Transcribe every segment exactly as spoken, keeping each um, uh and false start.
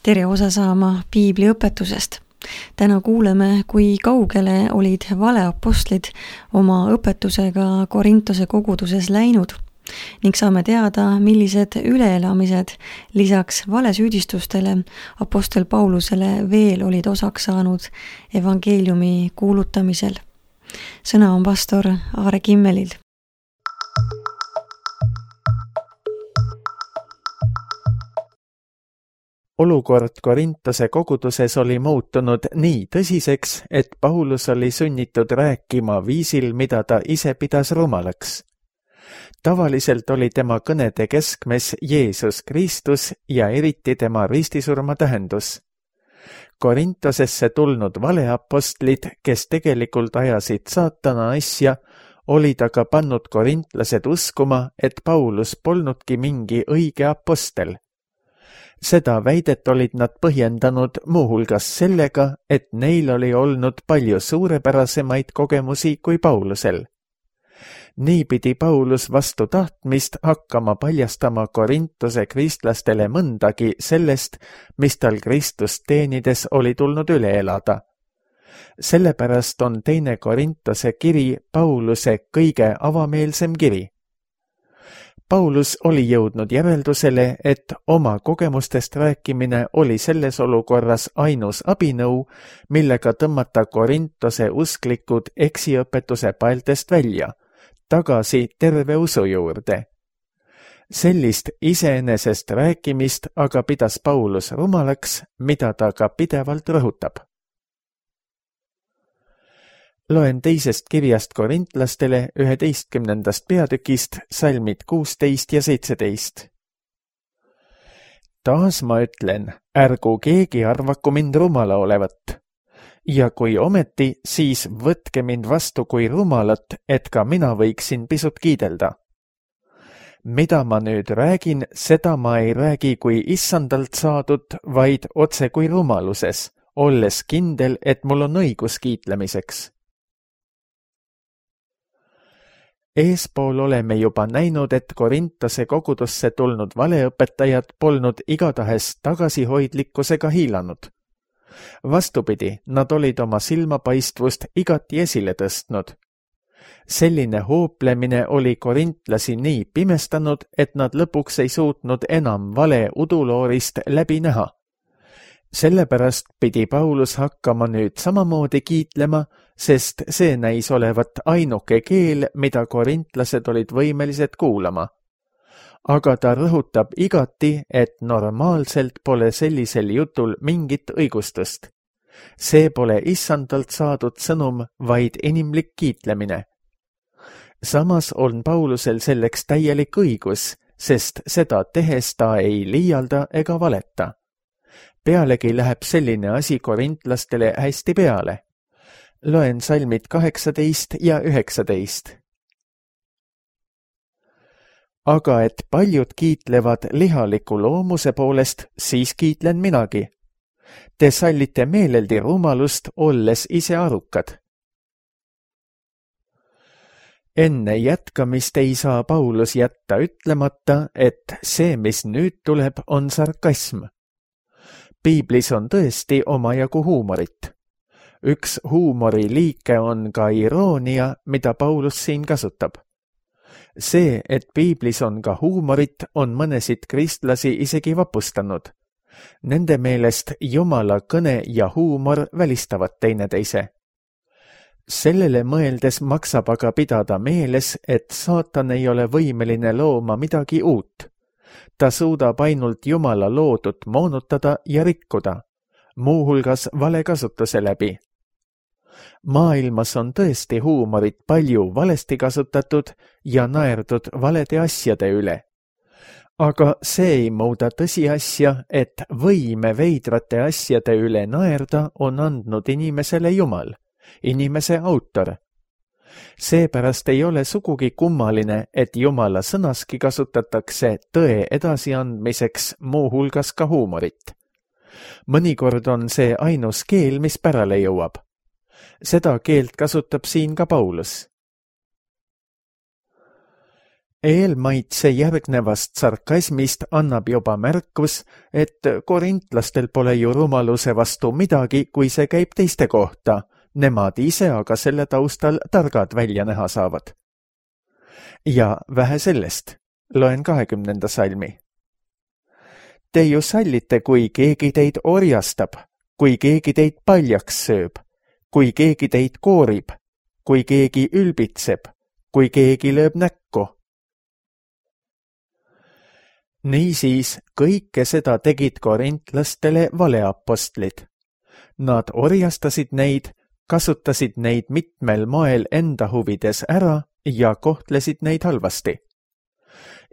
tere osa saama piibli õpetusest. Täna kuuleme, kui kaugele olid valeapostlid oma õpetusega Korintose koguduses läinud ning saame teada, millised üleelamised lisaks valesüüdistustele apostel Paulusele veel olid osaks saanud evangeeliumi kuulutamisel. Sõna on pastor Aare Kimmelil. Olukord Korintose koguduses oli muutunud nii tõsiseks, et Paulus oli sunnitud rääkima viisil, mida ta ise pidas rumalaks. Tavaliselt oli tema kõnede keskmes Jeesus Kristus ja eriti tema ristisurma tähendus. Korintosesse tulnud valeapostlid, kes tegelikult ajasid saatana asja, olid aga pannud korintlased uskuma, et Paulus polnudki mingi õige apostel. Seda väidet olid nad põhjendanud muuhulgas sellega, et neil oli olnud palju suurepärasemaid kogemusi kui Paulusel. Nii pidi Paulus vastu tahtmist hakkama paljastama Korintose kristlastele mõndagi sellest, mis tal Kristust teenides oli tulnud üle elada. Sellepärast on teine Korintose kiri Pauluse kõige avameelsem kiri. Paulus oli jõudnud järeldusele, et oma kogemustest rääkimine oli selles olukorras ainus abinõu, millega tõmmata Korintose usklikud eksiõpetuse paeltest välja, tagasi terve usu juurde. Sellist iseenesest rääkimist aga pidas Paulus rumalaks, mida ta ka pidevalt rõhutab. Loen teisest kirjast korintlastele üheteistkümnendast peatükist salmid kuusteist ja seitseteist. Taas ma ütlen, ärgu keegi arvaku mind rumala olevat. Ja kui ometi, siis võtke mind vastu kui rumalat, et ka mina võiksin pisut kiidelda. Mida ma nüüd räägin, seda ma ei räägi kui issandalt saadud, vaid otse kui rumaluses, olles kindel, et mul on õigus kiitlemiseks. Eespool oleme juba näinud, et Korintose kogudusse tulnud valeõpetajad polnud igatahes tagasihoidlikkusega hiilanud. Vastupidi, nad olid oma silmapaistvust igati esile tõstnud. Selline hooplemine oli korintlasi nii pimestanud, et nad lõpuks ei suutnud enam vale uduloorist läbi näha. Sellepärast pidi Paulus hakkama nüüd samamoodi kiitlema, sest see näis olevat ainuke keel, mida korintlased olid võimelised kuulama. Aga ta rõhutab igati, et normaalselt pole sellisel jutul mingit õigustust. See pole issandalt saadud sõnum, vaid inimlik kiitlemine. Samas on Paulusel selleks täielik õigus, sest seda tehes ta ei liialda ega valeta. Pealegi läheb selline asi korintlastele hästi peale. Loen salmid kaheksateist ja üheksateist. Aga et paljud kiitlevad lihaliku loomuse poolest, siis kiitlen minagi. Te sallite meeleldi rumalust, olles ise arukad. Enne jätkamist ei saa Paulus jätta ütlemata, et see, mis nüüd tuleb, on sarkasm. Piiblis on tõesti omajagu huumorit. Üks huumori liike on ka iroonia, mida Paulus siin kasutab. See, et piiblis on ka huumorit, on mõnesid kristlasi isegi vapustanud. Nende meelest Jumala kõne ja huumor välistavad teineteise. Sellele mõeldes maksab aga pidada meeles, et saatan ei ole võimeline looma midagi uut. Ta suudab ainult Jumala loodut moonutada ja rikkuda, muuhulgas valekasutuse läbi. Maailmas on tõesti huumorit palju valesti kasutatud ja naerdud valede asjade üle. Aga see ei muuda tõsiasja, et võime veidrate asjade üle naerda on andnud inimesele Jumal, inimese autor. Seepärast ei ole sugugi kummaline, et Jumala sõnaski kasutatakse tõe edasiandmiseks muuhulgas ka huumorit. Mõnikord on see ainus keel, mis pärale jõuab. Seda keelt kasutab siin ka Paulus. eelmaitse järgnevast sarkasmist annab juba märkus, et korintlastel pole ju rumaluse vastu midagi, kui see käib teiste kohta, nemad ise aga selle taustal targad välja näha saavad. Ja vähe sellest, loen kahekümnenda salmi. Te ju sallite, kui keegi teid orjastab, kui keegi teid paljaks sööb, kui keegi teid koorib, kui keegi ülbitseb, kui keegi lööb näkku. Niisiis kõike seda tegid korintlastele valeapostlid. Nad orjastasid neid, kasutasid neid mitmel moel enda huvides ära ja kohtlesid neid halvasti.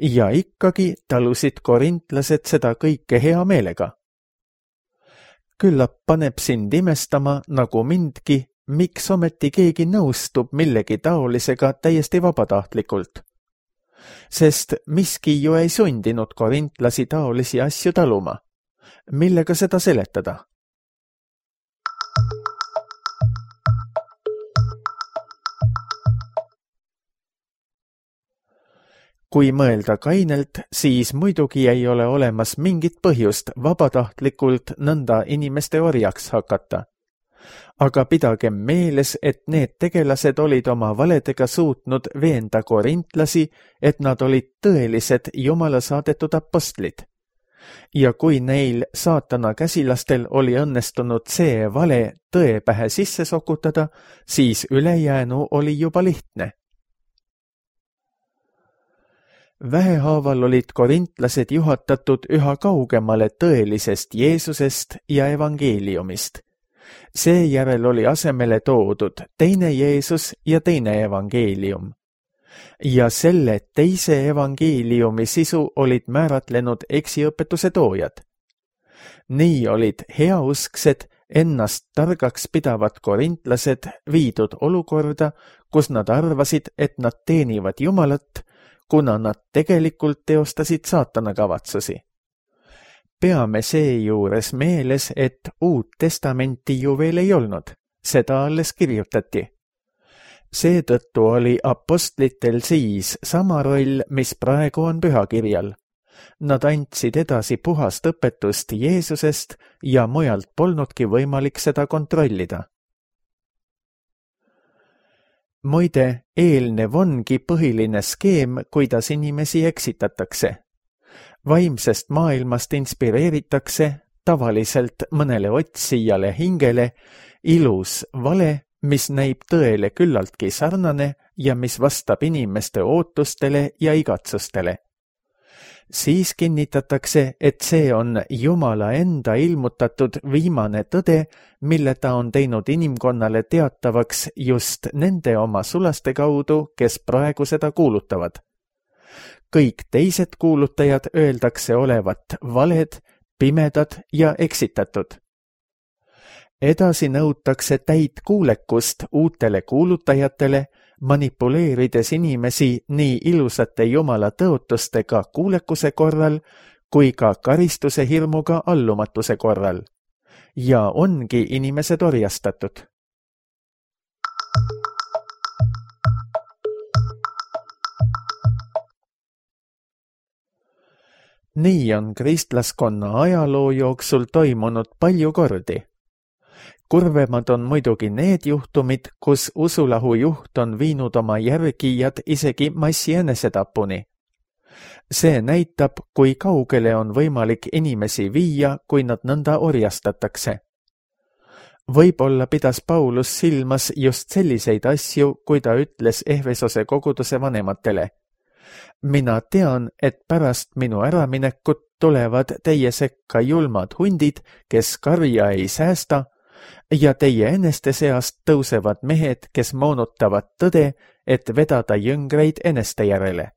Ja ikkagi talusid korintlased seda kõike hea meelega. Küllap paneb sind imestama nagu mindki, miks ometi keegi nõustub millegi taolisega täiesti vabatahtlikult. Sest miski ju ei sundinud korintlasi taolisi asju taluma. Millega seda seletada? Kui mõelda kainelt, siis muidugi ei ole olemas mingit põhjust vabatahtlikult nõnda inimeste orjaks hakata. Aga pidagem meeles, et need tegelased olid oma valedega suutnud veenda korintlasi, et nad olid tõelised Jumala saadetud apostlid. Ja kui neil saatana käsilastel oli õnnestunud see vale tõe pähe sisse sokutada, siis ülejäänu oli juba lihtne. Vähehaaval olid korintlased juhatatud üha kaugemale tõelisest Jeesusest ja evangeeliumist. Seejärel oli asemele toodud teine Jeesus ja teine evangeelium. Ja selle teise evangeeliumi sisu olid määratlenud eksiõpetuse toojad. Nii olid heausksed, ennast targaks pidavad korintlased viidud olukorda, kus nad arvasid, et nad teenivad Jumalat, kuna nad tegelikult teostasid saatana kavatsusi. Peame seejuures meeles, et Uut Testamenti ju veel ei olnud, seda alles kirjutati. Seetõttu oli apostlitel siis sama roll, mis praegu on pühakirjal. Nad andsid edasi puhast õpetust Jeesusest ja mujalt polnudki võimalik seda kontrollida. Muide, eelnev ongi põhiline skeem, kuidas inimesi eksitatakse. Vaimsest maailmast inspireeritakse tavaliselt mõnele otsijale hingele ilus vale, mis näib tõele küllaltki sarnane ja mis vastab inimeste ootustele ja igatsustele. Siis kinnitatakse, et see on Jumala enda ilmutatud viimane tõde, mille ta on teinud inimkonnale teatavaks just nende oma sulaste kaudu, kes praegu seda kuulutavad. Kõik teised kuulutajad öeldakse olevat valed, pimedad ja eksitatud. Edasi nõutakse täit kuulekust uutele kuulutajatele, manipuleerides inimesi nii ilusate Jumala tõotustega kuulekuse korral kui ka karistuse hirmuga allumatuse korral. Ja ongi inimesed orjastatud. Nii on kristlaskonna ajaloo jooksul toimunud palju kordi. Kurvemad on muidugi need juhtumid, kus usulahu juht on viinud oma järgijad isegi massi enesetapuni. See näitab, kui kaugele on võimalik inimesi viia, kui nad nõnda orjastatakse. Võib-olla pidas Paulus silmas just selliseid asju, kui ta ütles Ehvesose koguduse vanematele. Mina tean, et pärast minu äraminekut tulevad teie sekka julmad hundid, kes karja ei säästa, ja teie eneste seast tõusevad mehed, kes moonutavad tõde, et vedada jõngreid eneste järele.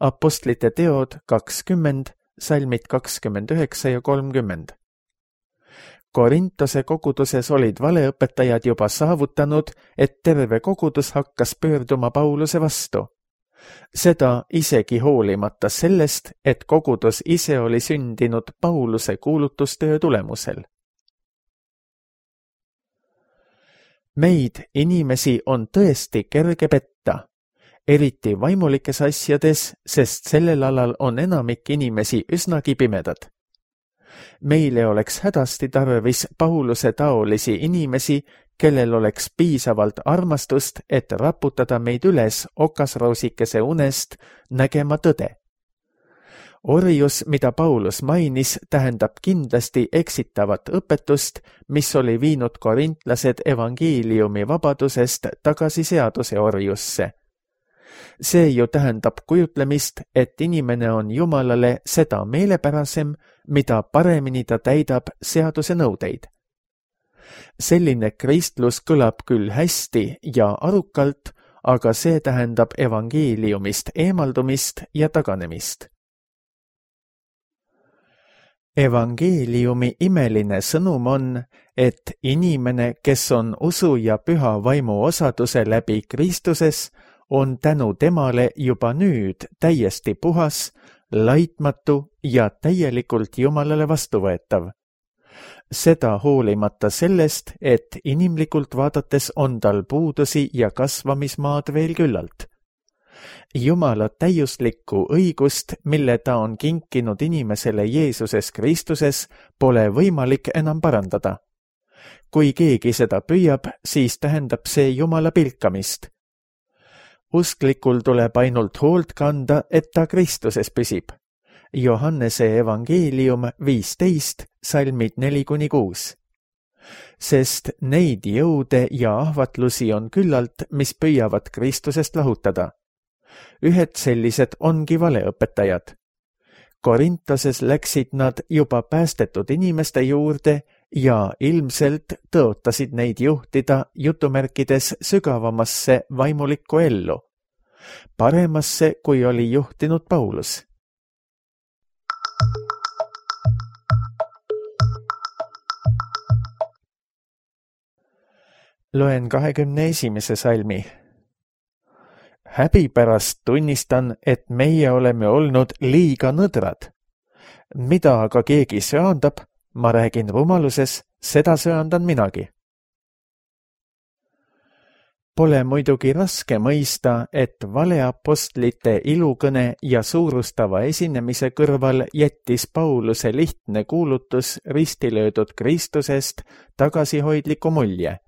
Apostlite teod kakskümmend, salmid kakskümmend üheksa ja kolmkümmend. Korintose koguduses olid valeõpetajad juba saavutanud, et terve kogudus hakkas pöörduma Pauluse vastu. Seda isegi hoolimata sellest, et kogudus ise oli sündinud Pauluse kuulutustöö tulemusel. Meid, inimesi, on tõesti kerge petta. eriti vaimulikes asjades, sest sellel alal on enamik inimesi üsnagi pimedad. Meile oleks hädasti tarvis Pauluse taolisi inimesi, kellel oleks piisavalt armastust, et raputada meid üles okasroosikese unest nägema tõde. Orjus, mida Paulus mainis, tähendab kindlasti eksitavat õpetust, mis oli viinud korintlased evangeeliumi vabadusest tagasi seaduse orjusse. See ju tähendab kujutlemist, et inimene on Jumalale seda meelepärasem, mida paremini ta täidab seaduse nõudeid. Selline kristlus kõlab küll hästi ja arukalt, aga see tähendab evangeeliumist eemaldumist ja taganemist. Evangeeliumi imeline sõnum on, et inimene, kes on usu ja püha vaimu osaduse läbi Kristuses, on tänu temale juba nüüd täiesti puhas, laitmatu ja täielikult Jumalale vastuvõetav. Seda hoolimata sellest, et inimlikult vaadates on tal puudusi ja kasvamismaad veel küllalt. Jumala täiuslikku õigust, mille ta on kinkinud inimesele Jeesuses Kristuses, pole võimalik enam parandada. Kui keegi seda püüab, siis tähendab see Jumala pilkamist. Usklikul tuleb ainult hoolt kanda, et ta Kristuses püsib. Johannese evangeelium viisteist, salmid neli kuni kuus. Sest neid jõude ja ahvatlusi on küllalt, mis püüavad Kristusest lahutada. Ühed sellised ongi valeõpetajad. Korintoses läksid nad juba päästetud inimeste juurde ja ilmselt tõotasid neid juhtida jutumärkides sügavamasse vaimulikku ellu, paremasse, kui oli juhtinud Paulus. Loen kahekümne esimese salmi. Häbi pärast tunnistan, et meie oleme olnud liiga nõdrad. Mida aga keegi söandab, ma räägin rumaluses, seda söandan minagi. Pole muidugi raske mõista, et valeapostlite ilukõne ja suurustava esinemise kõrval jättis Pauluse lihtne kuulutus ristilöödud Kristusest tagasihoidliku mulje.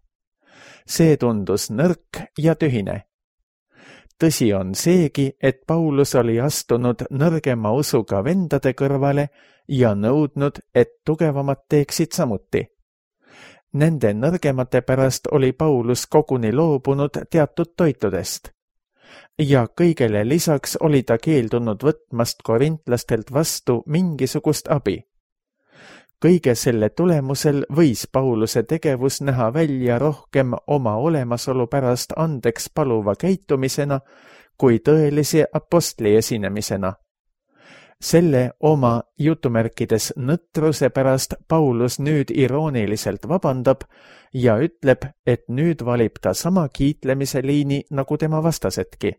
See tundus nõrk ja tühine. Tõsi on seegi, et Paulus oli astunud nõrgema usuga vendade kõrvale ja nõudnud, et tugevamad teeksid samuti. Nende nõrgemate pärast oli Paulus koguni loobunud teatud toitudest. Ja kõigele lisaks oli ta keeldunud võtmast korintlastelt vastu mingisugust abi. Kõige selle tulemusel võis Pauluse tegevus näha välja rohkem oma olemasolu pärast andeks paluva käitumisena kui tõelise apostli esinemisena. Selle oma jutumärkides nõtruse pärast Paulus nüüd irooniliselt vabandab ja ütleb, et nüüd valib ta sama kiitlemise liini nagu tema vastasedki.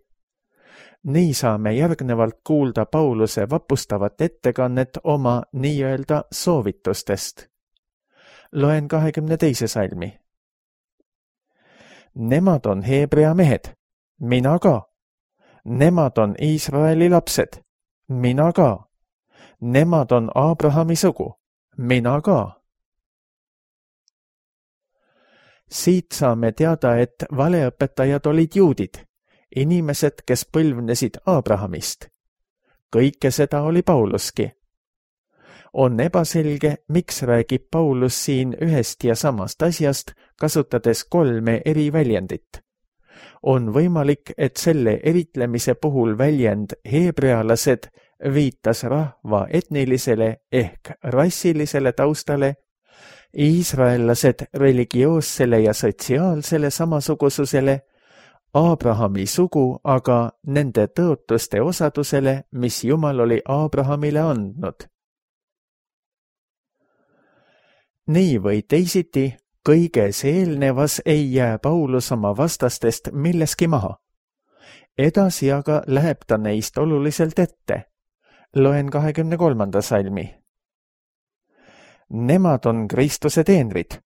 Nii saame järgnevalt kuulda Pauluse vapustavat ettekannet oma nii-öelda soovitustest. Loen kahekümne teise salmi. Nemad on Heebrea mehed, mina ka. Nemad on Iisraeli lapsed, mina ka. Nemad on Abrahami sugu, mina ka. Siit saame teada, et valeõpetajad olid juudid, inimesed, kes põlvnesid Abrahamist. Kõike seda oli Pauluski. On ebaselge, miks räägib Paulus siin ühest ja samast asjast, kasutades kolme eri väljendit. On võimalik, et selle eritlemise puhul väljend heebrealased viitas rahva etnilisele ehk rassilisele taustale, iisraellased religioossele ja sotsiaalsele samasugususele, Abrahami sugu aga nende tõotuste osadusele, mis Jumal oli Abrahamile andnud. Nii või teisiti, kõiges eelnevas ei jää Paulus oma vastastest milleski maha. Edasi aga läheb ta neist oluliselt ette. Loen kahekümne kolmanda salmi. Nemad on Kristuse teenrid.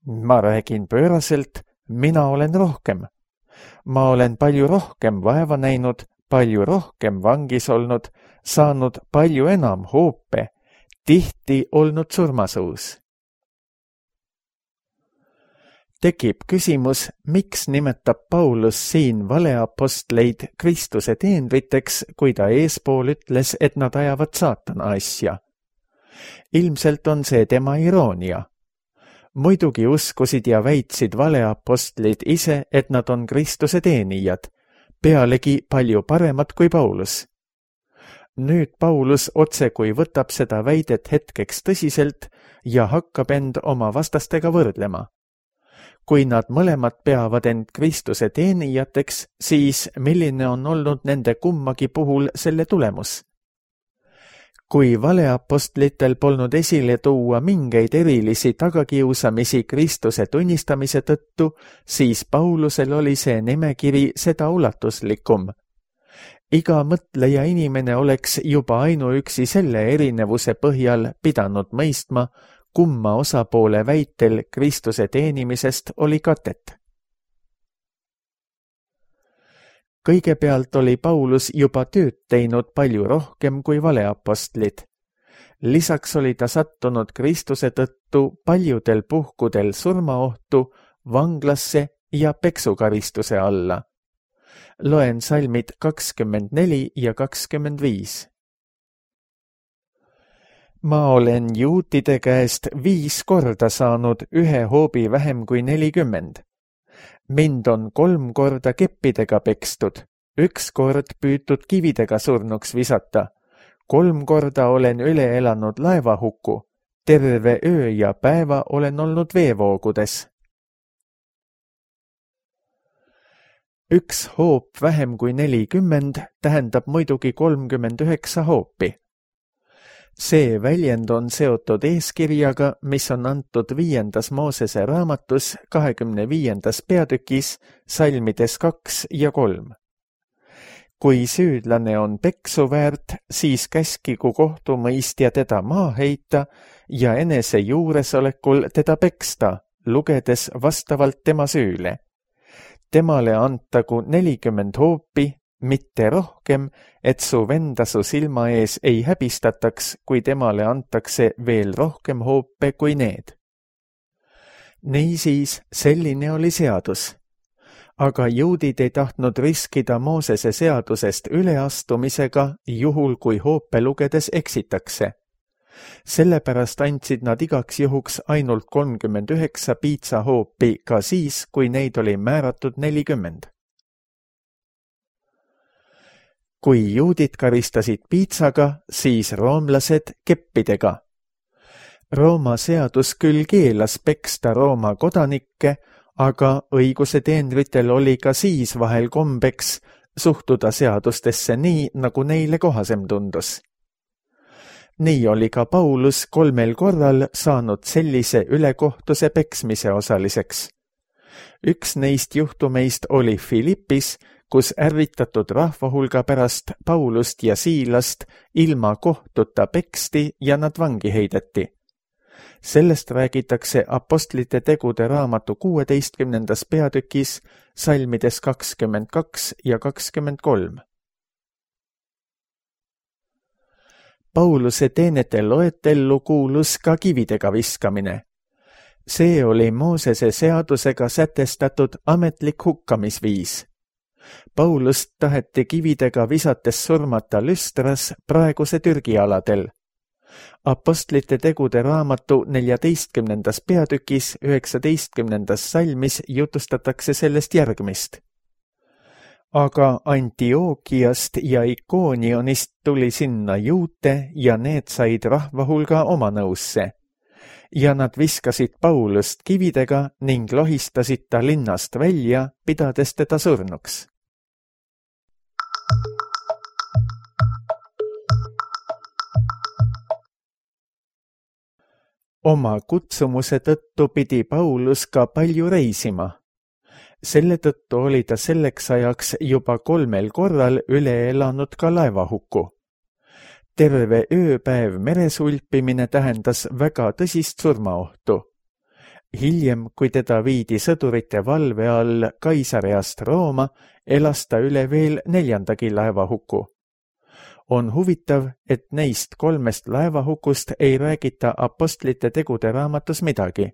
Ma räägin pööraselt, mina olen rohkem. Ma olen palju rohkem vaeva näinud, palju rohkem vangis olnud, saanud palju enam hoope, tihti olnud surmasuus. Tekib küsimus, miks nimetab Paulus siin valeapostleid Kristuse teenriteks, kui ta eespool ütles, et nad ajavad saatana asja. Ilmselt on see tema iroonia. Muidugi uskusid ja väitsid valeapostlid ise, et nad on Kristuse teenijad, pealegi palju paremad kui Paulus. Nüüd Paulus otse kui võtab seda väidet hetkeks tõsiselt ja hakkab end oma vastastega võrdlema. Kui nad mõlemad peavad end Kristuse teenijateks, siis milline on olnud nende kummagi puhul selle tulemus? Kui valeapostlitel polnud esile tuua mingeid erilisi tagakiusamisi Kristuse tunnistamise tõttu, siis Paulusel oli see nimekiri seda ulatuslikum. Iga mõtleja inimene oleks juba ainuüksi selle erinevuse põhjal pidanud mõistma, kumma osapoole väitel Kristuse teenimisest oli katet. Kõigepealt oli Paulus juba tööd teinud palju rohkem kui valeapostlid. Lisaks oli ta sattunud Kristuse tõttu paljudel puhkudel surmaohtu, vanglasse ja peksukaristuse alla. Loen salmid kakskümmend neli ja kakskümmend viis. Ma olen juutide käest viis korda saanud ühe hoobi vähem kui nelikümmend. Mind on kolm korda keppidega pekstud, üks kord püütud kividega surnuks visata, kolm korda olen üle elanud laevahuku, terve öö ja päeva olen olnud veevoogudes. Üks hoop vähem kui nelikümmend tähendab muidugi kolmkümmend üheksa hoopi. See väljend on seotud eeskirjaga, mis on antud viiendas Moosese raamatus kahekümne viiendas peatükis salmides kaks ja kolm. Kui süüdlane on peksu väärt, siis käskigu kohtumõistja teda maa heita ja enese juuresolekul teda peksta, lugedes vastavalt tema süüle. Temale antagu nelikümmend hoopi, mitte rohkem, et su venda su silma ees ei häbistataks, kui temale antakse veel rohkem hoope kui need. Niisiis, selline oli seadus. Aga juudid ei tahtnud riskida Moosese seadusest üleastumisega, juhul kui hoope lugedes eksitakse. Sellepärast andsid nad igaks juhuks ainult kolmkümmend üheksa piitsahoopi ka siis, kui neid oli määratud nelikümmend. Kui juudid karistasid piitsaga, siis roomlased keppidega. Rooma seadus küll keelas peksta Rooma kodanikke, aga õiguse teenritel oli ka siis vahel kombeks suhtuda seadustesse nii, nagu neile kohasem tundus. Nii oli ka Paulus kolmel korral saanud sellise ülekohtuse peksmise osaliseks. Üks neist juhtumeist oli Filippis, kus ärritatud rahvahulga pärast Paulust ja Siilast ilma kohtuta peksti ja nad vangi heideti. Sellest räägitakse Apostlite tegude raamatu kuueteistkümnendas peatükis salmides kakskümmend kaks ja kakskümmend kolm. Pauluse teenete loetellu kuulus ka kividega viskamine. See oli Moosese seadusega sätestatud ametlik hukkamisviis. Paulust taheti kividega visates surmata Lüstras praeguse Türgi aladel. Apostlite tegude raamatu neljateistkümnendas peatükis üheksateistkümnendas salmis jutustatakse sellest järgmist. Aga Antiookiast ja Ikoonionist tuli sinna juute ja need said rahvahulga oma nõusse. Ja nad viskasid Paulust kividega ning lohistasid ta linnast välja, pidades teda surnuks. Oma kutsumuse tõttu pidi Paulus ka palju reisima. Selle tõttu oli ta selleks ajaks juba kolmel korral üle elanud ka laevahuku. Terve ööpäev meresulpimine tähendas väga tõsist surmaohtu. hiljem, kui teda viidi sõdurite valve all Kaisareast Rooma, elas ta üle veel neljandagi laevahuku. On huvitav, et neist kolmest laevahukust ei räägita apostlite tegude raamatus midagi.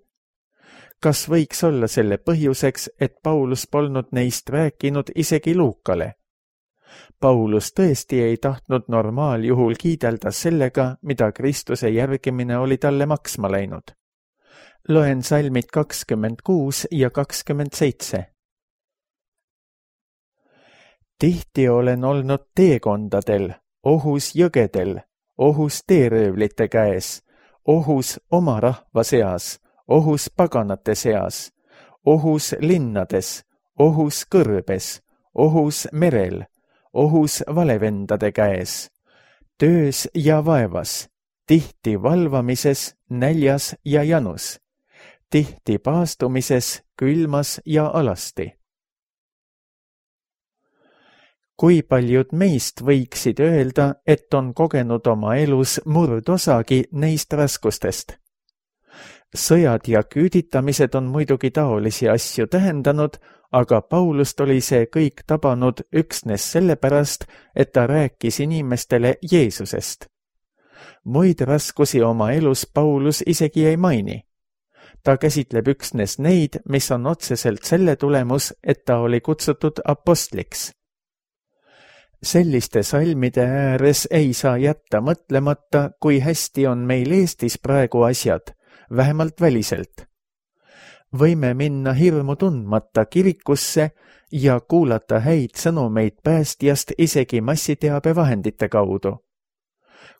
Kas võiks olla selle põhjuseks, et Paulus polnud neist rääkinud isegi Luukale? Paulus tõesti ei tahtnud normaaljuhul kiidelda sellega, mida Kristuse järgimine oli talle maksma läinud. Loen salmid kakskümmend kuus ja kakskümmend seitse. Tihti olen olnud teekondadel, ohus jõgedel, ohus teeröövlite käes, ohus oma rahva seas, ohus paganate seas, ohus linnades, ohus kõrbes, ohus merel, ohus valevendade käes, töös ja vaevas, tihti valvamises, näljas ja janus, tihti paastumises, külmas ja alasti. Kui paljud meist võiksid öelda, et on kogenud oma elus murdosagi neist raskustest? Sõjad ja küüditamised on muidugi taolisi asju tähendanud, aga Paulust oli see kõik tabanud üksnes sellepärast, et ta rääkis inimestele Jeesusest. Muid raskusi oma elus Paulus isegi ei maini. Ta käsitleb üksnes neid, mis on otseselt selle tulemus, et ta oli kutsutud apostliks. Selliste salmide ääres ei saa jätta mõtlemata, kui hästi on meil Eestis praegu asjad, vähemalt väliselt. Võime minna hirmu tundmata kirikusse ja kuulata häid sõnumeid päästjast isegi massiteabevahendite kaudu.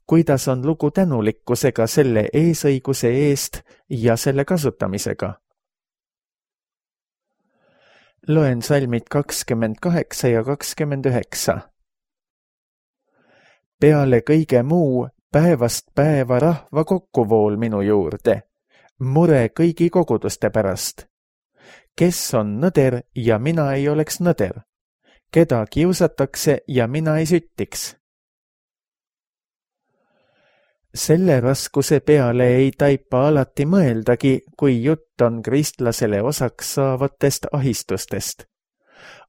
Kuidas on lugu tänulikkusega selle eesõiguse eest ja selle kasutamisega? Loen salmid kakskümmend kaheksa ja kakskümmend üheksa. Peale kõige muu päevast päeva rahva kokkuvool minu juurde, mure kõigi koguduste pärast. Kes on nõder ja mina ei oleks nõder? Keda kiusatakse ja mina ei süttiks? Selle raskuse peale ei taipa alati mõeldagi, kui jutt on kristlasele osaks saavatest ahistustest.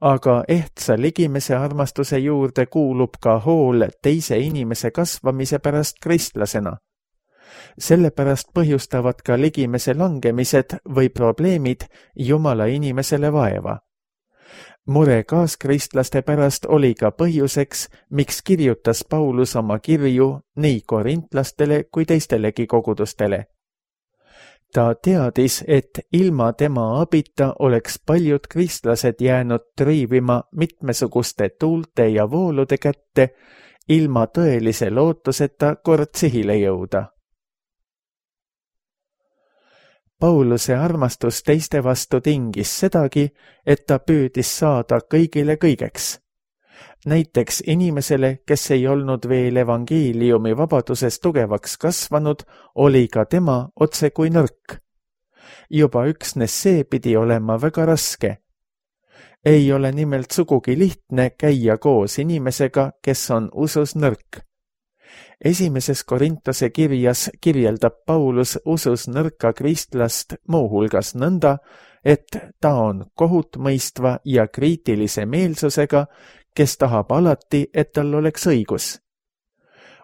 Aga ehtsa ligimese armastuse juurde kuulub ka hool teise inimese kasvamise pärast kristlasena. Sellepärast põhjustavad ka ligimese langemised või probleemid Jumala inimesele vaeva. Mure kaaskristlaste pärast oli ka põhjuseks, miks kirjutas Paulus oma kirju nii korintlastele kui teistelegi kogudustele. Ta teadis, et ilma tema abita oleks paljud kristlased jäänud triivima mitmesuguste tuulte ja voolude kätte, ilma tõelise lootuseta kord sihile jõuda. Pauluse armastus teiste vastu tingis sedagi, et ta püüdis saada kõigile kõigeks. Näiteks inimesele, kes ei olnud veel evangeeliumi vabaduses tugevaks kasvanud, oli ka tema otse kui nõrk. Juba üksnes see pidi olema väga raske. Ei ole nimelt sugugi lihtne käia koos inimesega, kes on usus nõrk. Esimeses Korintuse kirjas kirjeldab Paulus usus nõrka kristlast muuhulgas nõnda, et ta on kohutmõistva ja kriitilise meelsusega, kes tahab alati, et tal oleks õigus.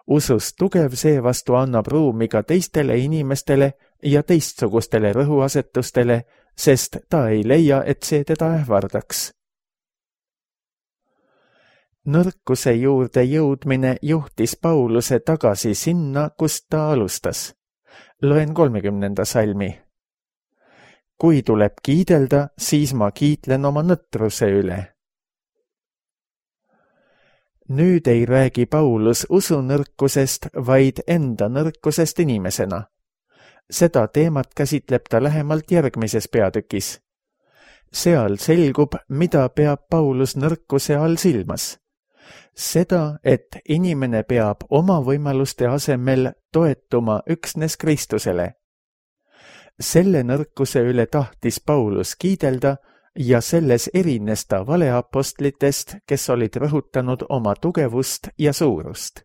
Usus tugev seevastu annab ruumi ka teistele inimestele ja teistsugustele rõhuasetustele, sest ta ei leia, et see teda ähvardaks. Nõrkuse juurde jõudmine juhtis Pauluse tagasi sinna, kust ta alustas. Loen kolmekümnenda salmi. Kui tuleb kiidelda, siis ma kiitlen oma nõtruse üle. Nüüd ei räägi Paulus usunõrkusest, vaid enda nõrkusest inimesena. Seda teemat käsitleb ta lähemalt järgmises peatükis. Seal selgub, mida peab Paulus nõrkuse all silmas. Seda, et inimene peab oma võimaluste asemel toetuma üksnes Kristusele. Selle nõrkuse üle tahtis Paulus kiidelda ja selles erines ta valeapostlitest, kes olid rõhutanud oma tugevust ja suurust.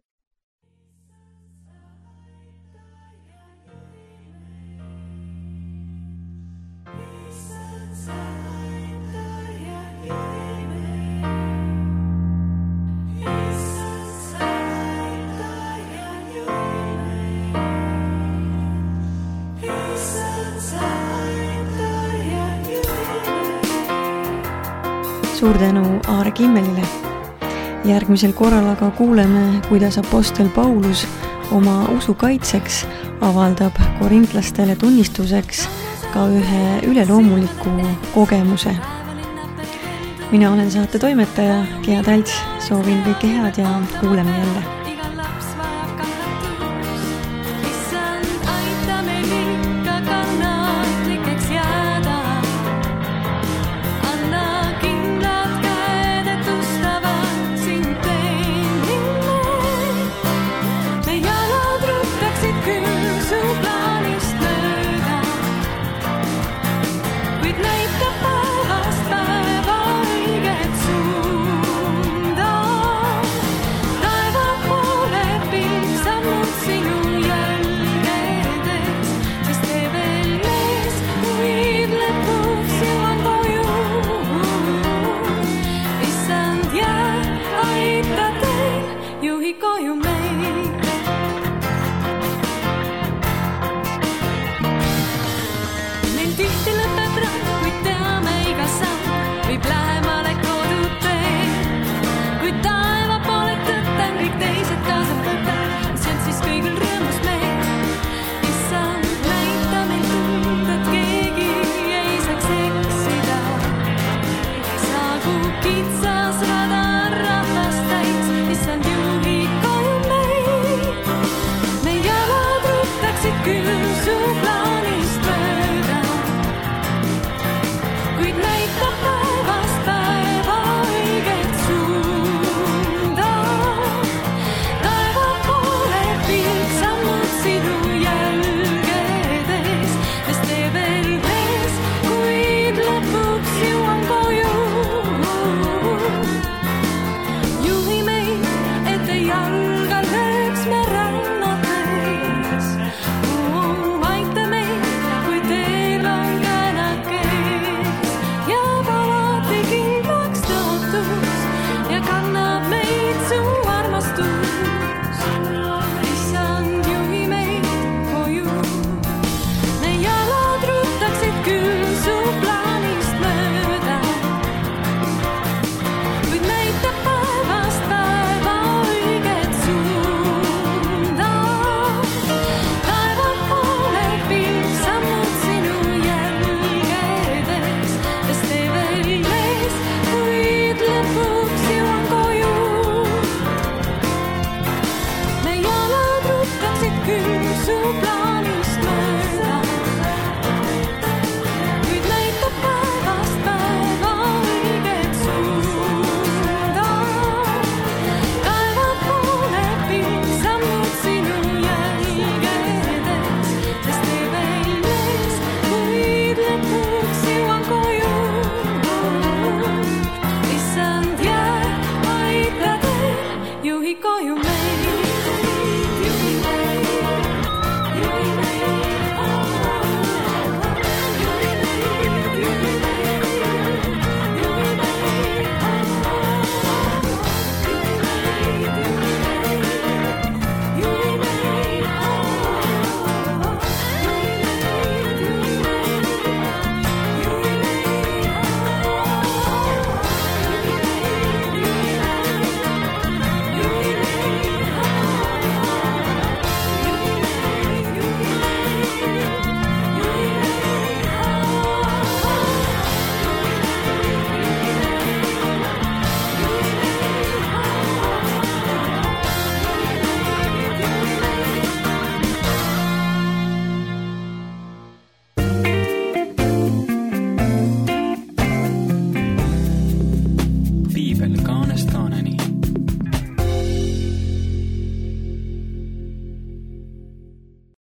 suur tänu Aare Kimmelile. Järgmisel korral aga kuuleme, kuidas apostel Paulus oma usu kaitseks avaldab korintlastele tunnistuseks ka ühe üleloomuliku kogemuse. Mina olen saate toimetaja Gea Talts, soovin kõike head ja kuuleme jälle.